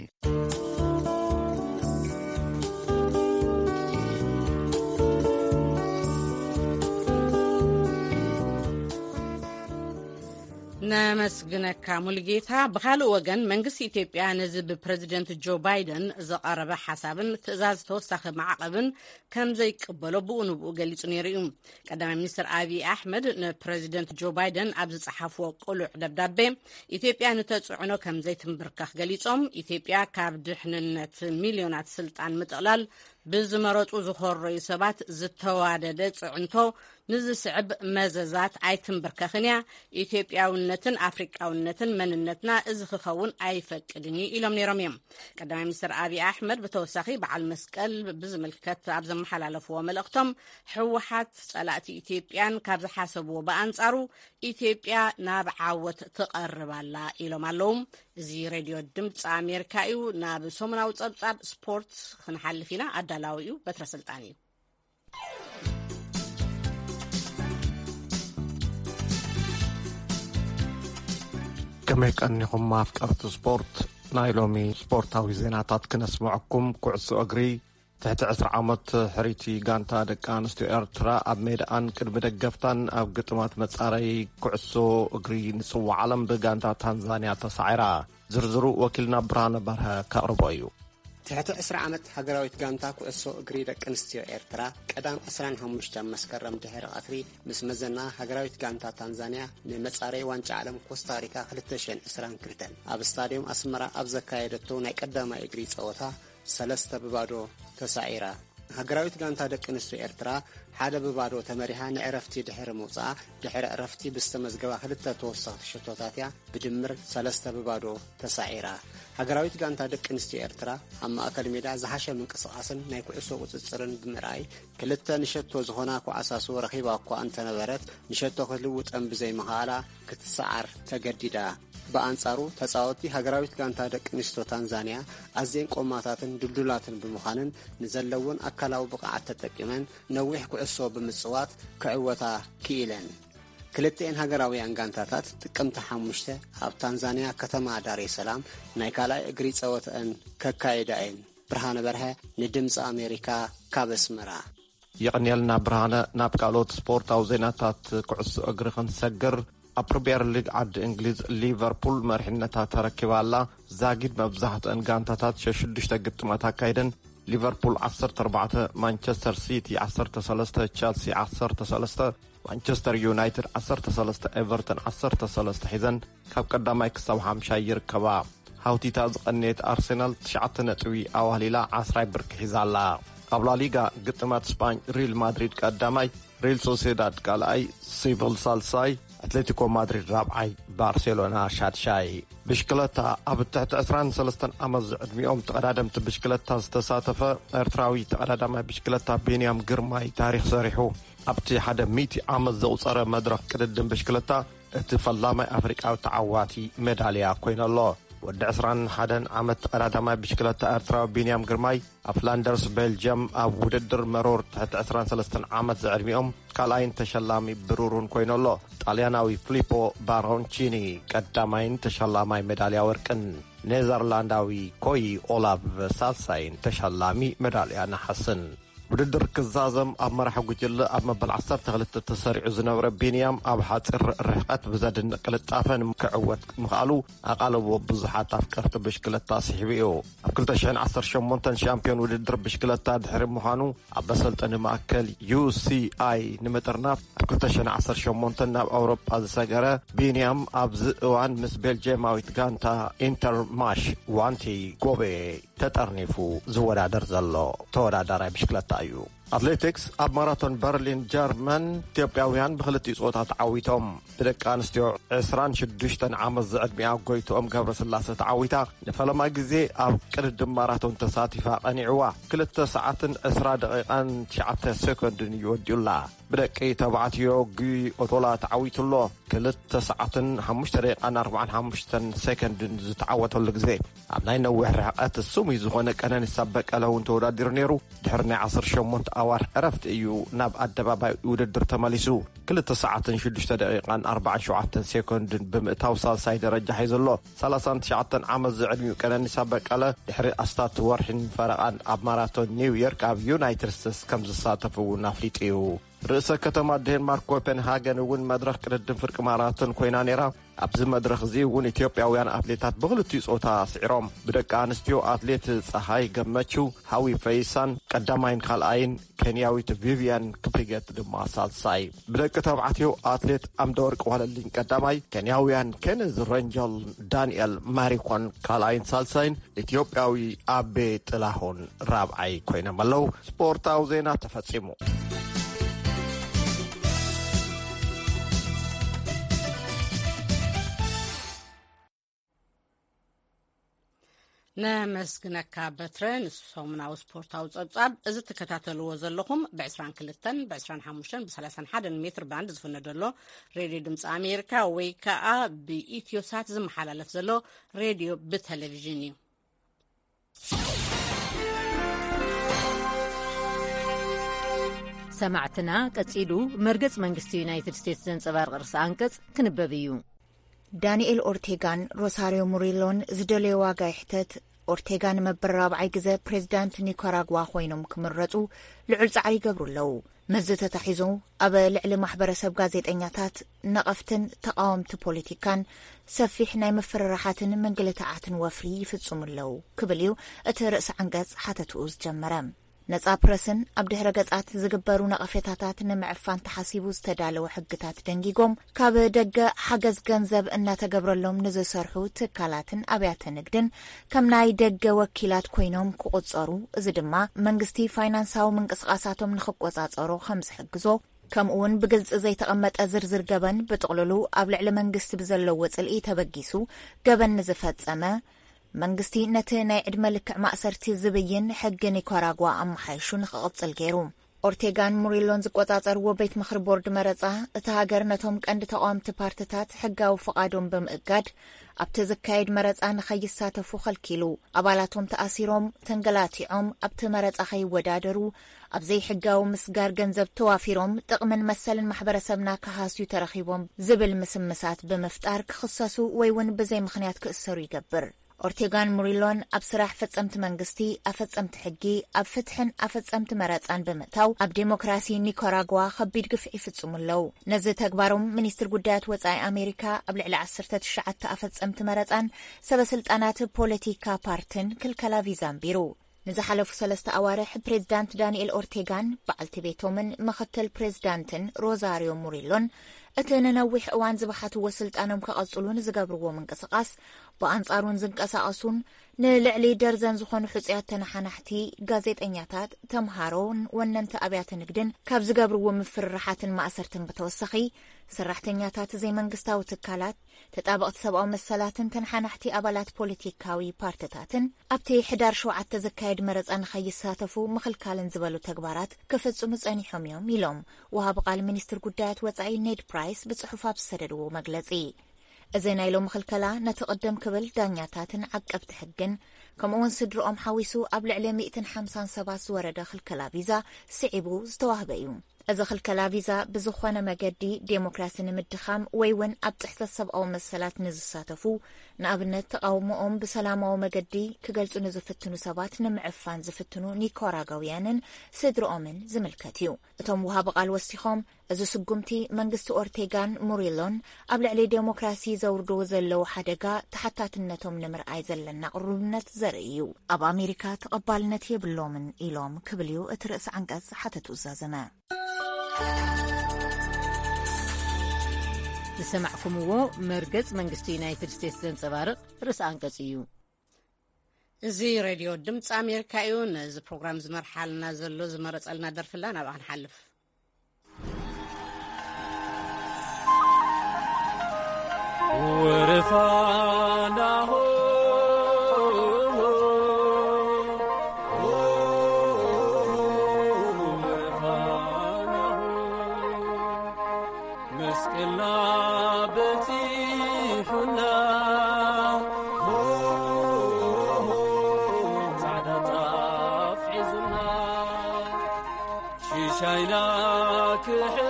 ነመስግነካ ሙልጌታ። ብኻልእ ወገን መንግስቲ ኢትዮጵያ ነዚ ብፕረዚደንት ጆ ባይደን ዝቐረበ ሓሳብን ትእዛዝ ተወሳኺ ማዕቐብን ከም ዘይቅበሎ ብኡ ንብኡ ገሊጹ ነይሩ እዩ። ቀዳማይ ሚኒስትር ኣብይ ኣሕመድ ንፕረዚደንት ጆ ባይደን ኣብ ዝጸሓፍዎ ቅሉዕ ደብዳቤ ኢትዮጵያ ንተጽዕኖ ከም ዘይትንብርከኽ ገሊጾም፣ ኢትዮጵያ ካብ ድሕንነት ሚልዮናት ስልጣን ምጥቕላል ብዝመረጹ ዝኾረዩ ሰባት ዝተዋደደ ጽዕንቶ ንዝስዕብ መዘዛት ኣይትንብርከኽን እያ። ኢትዮጵያውነትን ኣፍሪቃውነትን መንነትና እዚ ክኸውን ኣይፈቅድን እዩ ኢሎም ነይሮም እዮም። ቀዳማይ ሚኒስትር ኣብይ ኣሕመድ ብተወሳኺ በዓል መስቀል ብዝምልከት ኣብ ዘመሓላለፍዎ መልእኽቶም፣ ህወሓት ጸላእቲ ኢትዮጵያን ካብ ዝሓሰብዎ ብኣንጻሩ ኢትዮጵያ ናብ ዓወት ትቐርብ ኣላ ኢሎም ኣለዉ። እዚ ሬድዮ ድምፂ ኣሜሪካ እዩ። ናብ ሰሙናዊ ጸብጻብ ስፖርት ክንሓልፍ ኢና። ኣዳላዊ እዩ በትረ ስልጣን እዩ። ከመይ ቀኒኹም ኣፍቀርቲ ስፖርት? ናይ ሎሚ ስፖርታዊ ዜናታት ክነስምዐኩም። ኩዕሶ እግሪ ትሕቲ ዕስራ ዓመት ሕሪቲ ጋንታ ደቂ ኣንስትዮ ኤርትራ ኣብ ሜዳኣን ቅድሚ ደገፍታን ኣብ ግጥማት መጻረይ ኩዕሶ እግሪ ንጽዋዕ ዓለም ብጋንታ ታንዛንያ ተሳዒራ። ዝርዝሩ ወኪልና ብርሃነ በርሀ ከቕርቦ እዩ። ትሕቲ ዕስራ ዓመት ሃገራዊት ጋንታ ኩዕሶ እግሪ ደቂ ኣንስትዮ ኤርትራ ቀዳም ዕስራን ሓሙሽተን መስከረም ድሕሪ ቀትሪ ምስ መዘና ሃገራዊት ጋንታ ታንዛንያ ንመጻረይ ዋንጫ ዓለም ኮስታሪካ ክልተ ሽሕን ዕስራን ክልተን ኣብ ስታድዮም ኣስመራ ኣብ ዘካየደቶ ናይ ቀዳማይ እግሪ ጸወታ ሰለስተ ብባዶ ተሳዒራ። ሃገራዊት ጋንታ ደቂ ኣንስትዮ ኤርትራ ሓደ ብባዶ ተመሪሓ ንዕረፍቲ ድሕሪ ምውጻኣ፣ ድሕሪ ዕረፍቲ ብዝተመዝገባ ክልተ ተወሰኽቲ ሸቶታት እያ ብድምር ሰለስተ ብባዶ ተሳዒራ። ሃገራዊት ጋንታ ደቂ ኣንስትዮ ኤርትራ ኣብ ማእከል ሜዳ ዝሓሸ ምንቅስቓስን ናይ ኩዕሶ ቁጽጽርን ብምርኣይ፣ ክልተ ንሸቶ ዝኾና ኮዓሳሱ ረኺባ እኳ እንተነበረት፣ ንሸቶ ክትልውጠን ብዘይምኽኣላ ክትሰዓር ተገዲዳ። ብኣንጻሩ፣ ተጻወትቲ ሃገራዊት ጋንታ ደቂ ኣንስትዮ ታንዛንያ ኣዝየን ቆማታትን ድልዱላትን ብምዃንን፣ ንዘለውን ኣካላዊ ብቕዓት ተጠቂመን ነዊሕ ኩዕሶ ብምጽዋት ክዕወታ ክኢለን። ክልተኤን ሃገራውያን ጋንታታት ጥቅምቲ ሓሙሽተ ኣብ ታንዛንያ ከተማ ዳሬ ሰላም ናይ ካልኣይ እግሪ ጸወተአን ከካይዳ እየን። ብርሃነ በርሀ ንድምፂ ኣሜሪካ ካብ ኣስመራ። የቐንየልና ብርሃነ። ናብ ካልኦት ስፖርታዊ ዜናታት ኩዕሶ እግሪ ክንሰግር፣ ኣብ ፕሪምየር ሊግ ዓዲ እንግሊዝ ሊቨርፑል መሪሕነታ ተረኪባ ኣላ። ዛጊድ መብዛሕትአን ጋንታታት ሸሽዱሽተ ግጥማት ኣካይደን። ሊቨርፑል ዓሰርተ ኣርባዕተ፣ ማንቸስተር ሲቲ ዓሰርተ ሰለስተ፣ ቸልሲ ዓሰርተ ሰለስተ፣ ማንቸስተር ዩናይትድ ዓሰርተ ሰለስተ፣ ኤቨርተን ዓሰርተ ሰለስተ ሒዘን ካብ ቀዳማይ ክሳብ ሓምሻይ ይርከባ። ሃውቲታ ዝቐነየት ኣርሰናል ትሽዓተ ነጥቢ ኣዋህሊላ ዓስራይ ብርኪ ሒዛ ኣላ። ኣብ ላሊጋ ግጥማት ስጳኝ ሪል ማድሪድ ቀዳማይ፣ ሪል ሶሴዳድ ካልኣይ፣ ሲቪል ሳልሳይ፣ ኣትሌቲኮ ማድሪድ ራብዓይ፣ ባርሴሎና ሻድሻይ። ብሽክለታ ኣብ ትሕቲ ዕስራን ሰለስተን ዓመት ዝዕድሚኦም ተቐዳደምቲ ብሽክለታ ዝተሳተፈ ኤርትራዊ ተቐዳዳማይ ብሽክለታ ቢንያም ግርማይ ታሪኽ ሰሪሑ። ኣብቲ ሓደ ሚእቲ ዓመት ዘቑጸረ መድረኽ ቅድድም ብሽክለታ እቲ ፈላማይ ኣፍሪቃዊ ተዓዋቲ ሜዳልያ ኮይነሎ። ወዲ ዕስራን ሓደን ዓመት ተቐዳዳማይ ብሽክለታ ኤርትራዊ ቢንያም ግርማይ ኣብ ፍላንደርስ ቤልጅየም ኣብ ውድድር መሮር ትሕቲ ዕስራን ሰለስተን ዓመት ዝዕድሚኦም ካልኣይን ተሸላሚ ብሩርን ኮይነሎ። ጣልያናዊ ፍሊፖ ባሮንቺኒ ቀዳማይን ተሸላማይ ሜዳልያ ወርቅን፣ ኔዘርላንዳዊ ኮይ ኦላቭ ሳልሳይን ተሸላሚ ሜዳልያ ነሓስን። ውድድር ክዛዘም ኣብ መራሒ ጉጅለ ኣብ መበል ዓሰርተ ክልተ ተሰሪዑ ዝነበረ ቢንያም ኣብ ሓፂር ርሕቀት ብዘድንቕ ቅልጣፈ ክዕወት ምኽኣሉ ኣቓልቦ ብዙሓት ኣፍቀርቲ ብሽክለታ ስሒቡ እዩ። ኣብ ክልተ ሽሕን ዓሰርተ ሸሞንተን ሻምፒዮን ውድድር ብሽክለታ ድሕሪ ምዃኑ ኣብ መሰልጠኒ ማእከል ዩ ሲ ኣይ ንምጥርናፍ ኣብ ክልተ ሽሕን ዓሰርተ ሸሞንተን ናብ ኣውሮጳ ዝሰገረ ቢንያም ኣብዚ እዋን ምስ ቤልጅየማዊት ጋንታ ኢንተርማሽ ዋንቲ ጎቤ ተጠርኒፉ ዝወዳደር ዘሎ ተወዳዳራይ ብሽክለታ እዩ። ኣትሌቲክስ ኣብ ማራቶን በርሊን ጀርመን ኢትዮጵያውያን ብክልቲኡ ጾታ ተዓዊቶም። ብደቂ ኣንስትዮ ዕስራን ሽዱሽተን ዓመት ዝዕድሚኣ ጎይትኦም ገብረስላሰ ተዓዊታ ንፈለማ ግዜ ኣብ ቅድድም ማራቶን ተሳቲፋ ቀኒዕዋ። ክልተ ሰዓትን ዕስራ ደቂቓን ትሽዓተ ሴኮንድን እዩ ወዲኡላ። ብደቂ ተባዕትዮ ጉይ ኦቶላ ተዓዊቱሎ። ክልተ ሰዓትን ሓሙሽተ ደቂቓን ኣርባዓን ሓሙሽተን ሴኮንድን ዝተዓወተሉ ግዜ ኣብ ናይ ነዊሕ ርሕቀት ስሙይ ዝኾነ ቀነኒሳ በቀለ እውን ተወዳዲሩ ነይሩ። ድሕሪ ናይ ዓሰርተ ሸሞንተ ኣዋርሕ ዕረፍቲ እዩ ናብ ኣደባባይ ውድድር ተመሊሱ። ክልተ ሰዓትን ሽዱሽተ ደቂቓን ኣርባዓን ሸውዓተን ሴኮንድን ብምእታው ሳልሳይ ደረጃ ሒዙ ኣሎ። ሰላሳን ትሽዓተን ዓመት ዝዕድሚኡ ቀነኒሳ በቀለ ድሕሪ ኣስታት ወርሒን ፈረቓን ኣብ ማራቶን ኒውዮርክ ኣብ ዩናይትድ ስቴትስ ከም ዝሳተፍ እውን ኣፍሊጡ እዩ። ርእሰ ከተማ ዴንማርክ ኮፐንሃገን እውን መድረኽ ቅድድም ፍርቂ ማራቶን ኮይና ነይራ። ኣብዚ መድረኽ እዚ እውን ኢትዮጵያውያን ኣትሌታት ብኽልቲኡ ጾታ ስዒሮም። ብደቂ ኣንስትዮ ኣትሌት ጸሃይ ገመችው፣ ሃዊ ፈይሳን ቀዳማይን ካልኣይን፣ ኬንያዊት ቪቪያን ክፕሪገት ድማ ሳልሳይ። ብደቂ ተባዕትዮ ኣትሌት ኣምደወርቅ ዋለልኝ ቀዳማይ፣ ኬንያውያን ኬነዝ ረንጀል፣ ዳንኤል ማሪኮን ካልኣይን ሳልሳይን፣ ኢትዮጵያዊ ኣቤ ጥላሁን ራብዓይ ኮይኖም ኣለዉ። ስፖርታዊ ዜና ተፈጺሙ። ነመስግነካ በትረ። ንሰሙናዊ ስፖርታዊ ጸብጻብ እዚ ትከታተልዎ ዘለኹም ብ22፣ ብ25፣ ብ31 ሜትር ባንድ ዝፍነ ዘሎ ሬድዮ ድምፂ ኣሜሪካ ወይ ከዓ ብኢትዮ ሳት ዝመሓላለፍ ዘሎ ሬድዮ ብቴሌቪዥን እዩ። ሰማዕትና፣ ቀጺሉ መርገጽ መንግስቲ ዩናይትድ ስቴትስ ዘንጸባርቕ ርእሰ ኣንቀጽ ክንበብ እዩ። ዳንኤል ኦርቴጋን ሮሳሪዮ ሙሪሎን ዝደለዮ ዋጋ ይሕተት። ኦርቴጋ ንመበል ራብዓይ ግዘ ፕሬዚዳንት ኒካራጓ ኮይኖም ክምረፁ ልዑል ፃዕሪ ይገብሩ ኣለዉ። ምስዚ ተታሒዙ፣ ኣብ ልዕሊ ማሕበረሰብ ጋዜጠኛታት፣ ነቐፍትን ተቓወምቲ ፖለቲካን ሰፊሕ ናይ ምፍርራሓትን ምንግልታዓትን ወፍሪ ይፍፅሙ ኣለዉ ክብል እዩ እቲ ርእሰ ዓንቀፅ ሓተትኡ ዝጀመረ። ነጻ ፕረስን ኣብ ድሕረ ገጻት ዝግበሩ ነቐፌታታት ንምዕፋን ተሓሲቡ ዝተዳለወ ሕግታት ደንጊጎም፣ ካብ ደገ ሓገዝ ገንዘብ እናተገብረሎም ንዝሰርሑ ትካላትን ኣብያተ ንግድን ከም ናይ ደገ ወኪላት ኮይኖም ክቑጸሩ፣ እዚ ድማ መንግስቲ ፋይናንሳዊ ምንቅስቓሳቶም ንኽቆጻጸሮ ከም ዝሕግዞ፣ ከምኡውን ብግልጺ ዘይተቐመጠ ዝርዝር ገበን ብጥቕልሉ ኣብ ልዕሊ መንግስቲ ብዘለዎ ጽልኢ ተበጊሱ ገበን ንዝፈጸመ፣ መንግስቲ ነቲ ናይ ዕድመ ልክዕ ማእሰርቲ ዝብይን ሕጊ ኒካራጓ ኣመሓይሹ ንኽቕጽል ገይሩ። ኦርቴጋን ሙሪሎን ዝቆጻጸርዎ ቤት ምኽሪ ቦርድ መረጻ፣ እታ ሃገር ነቶም ቀንዲ ተቓወምቲ ፓርትታት ሕጋዊ ፍቓዶም ብምእጋድ፣ ኣብቲ ዝካየድ መረጻ ንኸይሳተፉ ኸልኪሉ። ኣባላቶም ተኣሲሮም፣ ተንገላቲዖም፣ ኣብቲ መረጻ ኸይወዳደሩ፣ ኣብ ዘይሕጋዊ ምስጋር ገንዘብ ተዋፊሮም፣ ጥቕምን መሰልን ማሕበረሰብና ክሃስዩ ተረኺቦም ዝብል ምስምሳት ብምፍጣር ክኽሰሱ ወይ እውን ብዘይ ምኽንያት ክእሰሩ ይገብር። ኦርቴጋን ሙሪሎን ኣብ ስራሕ ፈጸምቲ መንግስቲ፣ ኣፈጸምቲ ሕጊ፣ ኣብ ፍትሕን ኣፈጸምቲ መረጻን ብምእታው፣ ኣብ ዴሞክራሲ ኒካራጓ ከቢድ ግፍዒ ይፍጽሙ ኣለዉ። ነዚ ተግባሮም ሚኒስትር ጉዳያት ወጻኢ ኣሜሪካ ኣብ ልዕሊ ዓሰርተ ትሽዓተ ኣፈጸምቲ መረጻን ሰበ ስልጣናት ፖለቲካ ፓርትን ክልከላ ቪዛ ኣንቢሩ። ንዝሓለፉ ሰለስተ ኣዋርሕ ፕሬዚዳንት ዳንኤል ኦርቴጋን በዓልቲ ቤቶምን ምኽትል ፕሬዚዳንትን ሮዛሪዮ ሙሪሎን እቲ ንነዊሕ እዋን ዝበሓትዎ ስልጣኖም ከቐጽሉ ንዝገብርዎ ምንቅስቓስ ብኣንጻሩን ዝንቀሳቐሱን ንልዕሊ ደርዘን ዝኾኑ ሕጹያት ተነሓናሕቲ፣ ጋዜጠኛታት፣ ተምሃሮን ወነንቲ ኣብያተ ንግድን ካብ ዝገብርዎ ምፍርራሓትን ማእሰርትን ብተወሳኺ፣ ሰራሕተኛታት ዘይመንግስታዊ ትካላት፣ ተጣበቕቲ ሰብኣዊ መሰላትን ተነሓናሕቲ ኣባላት ፖለቲካዊ ፓርትታትን ኣብቲ ሕዳር ሸውዓተ ዝካየድ መረጻ ንኸይሳተፉ ምኽልካልን ዝበሉ ተግባራት ክፍጽሙ ጸኒሖም እዮም ኢሎም ወሃቢ ቃል ሚኒስትር ጉዳያት ወጻኢ ኔድ ፕራይስ ብጽሑፍ ኣብ ዝሰደድዎ መግለጺ። እዚ ናይ ሎሚ ክልከላ ነቲ ቅድም ክብል ዳኛታትን ዓቀብቲ ሕግን ከምኡውን ስድርኦም ሓዊሱ ኣብ ልዕሊ ሚእትን ሓምሳን ሰባት ዝወረደ ክልከላ ቪዛ ስዒቡ ዝተዋህበ እዩ። እዚ ክልከላ ቪዛ ብዝኾነ መገዲ ዴሞክራሲ ንምድኻም ወይ እውን ኣብ ጥሕሰት ሰብኣዊ መሰላት ንዝሳተፉ፣ ንኣብነት ተቓውሞኦም ብሰላማዊ መገዲ ክገልጹ ንዝፍትኑ ሰባት ንምዕፋን ዝፍትኑ ኒካራጋውያንን ስድርኦምን ዝምልከት እዩ። እቶም ወሃቢ ቃል ወሲኾም፣ እዚ ስጉምቲ መንግስቲ ኦርቴጋን ሙሪሎን ኣብ ልዕሊ ዴሞክራሲ ዘውርድዎ ዘለዉ ሓደጋ ተሓታትነቶም ንምርኣይ ዘለና ቅሩብነት ዘርኢ እዩ። ኣብ ኣሜሪካ ተቐባልነት የብሎምን ኢሎም ክብል እዩ እቲ ርእሲ ዓንቀጽ ሓተቱ ዝዛዘመ። ዝሰማዕኩምዎ መርገጽ መንግስቲ ዩናይትድ ስቴትስ ዘንጸባርቕ ርእሲ ኣንቀጽ እዩ። እዚ ሬድዮ ድምፂ ኣሜሪካ እዩ። ነዚ ፕሮግራም ዝመርሓልና ዘሎ ዝመረጸልና ደርፍላ ናብኣ ክንሓልፍ። ወረፋናሆ፣ ወረፋናሆ፣ መስቀልና በጺሑና፣ ጻዕዳ ጣፍ ሒዙና። ሽሻይና ክሕፍስ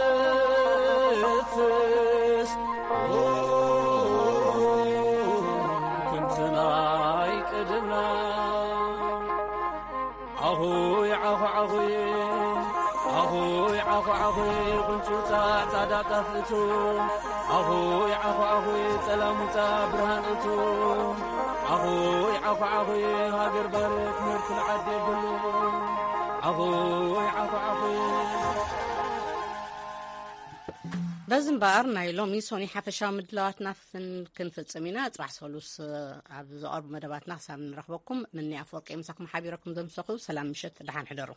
ክንትናይ ቀደምና። ዓኹይ ዓኹ ዓኹይ ዓኹይ ዓኹ ዓኹ፣ ጉንጭ ውጻእ ጻዕዳ ጣፍ እቱ። ዓኹ ዓኹ ዓኹ፣ ጸላም ውጻእ ብርሃን እቱ። ዓኹ ዓኹ ዓኹ፣ ሃገር ባርክ ምርኩል ዓዲ ብሉ። ዓኹ ዓኹ ዓኹ። በዚ እምበኣር ናይ ሎሚ ሶኒ ሓፈሻዊ ምድላዋትና ፍን-፣ ክንፍጽም ኢና። ጽባሕ ሰሉስ ኣብ ዝቐርቡ መደባትና ክሳብ ንረኽበኩም፣ ምኒ ኣፈወርቂ ምሳኹም ሓቢረኩም ዘምሰኹ። ሰላም ምሸት፣ ደሓን ሕደሩ።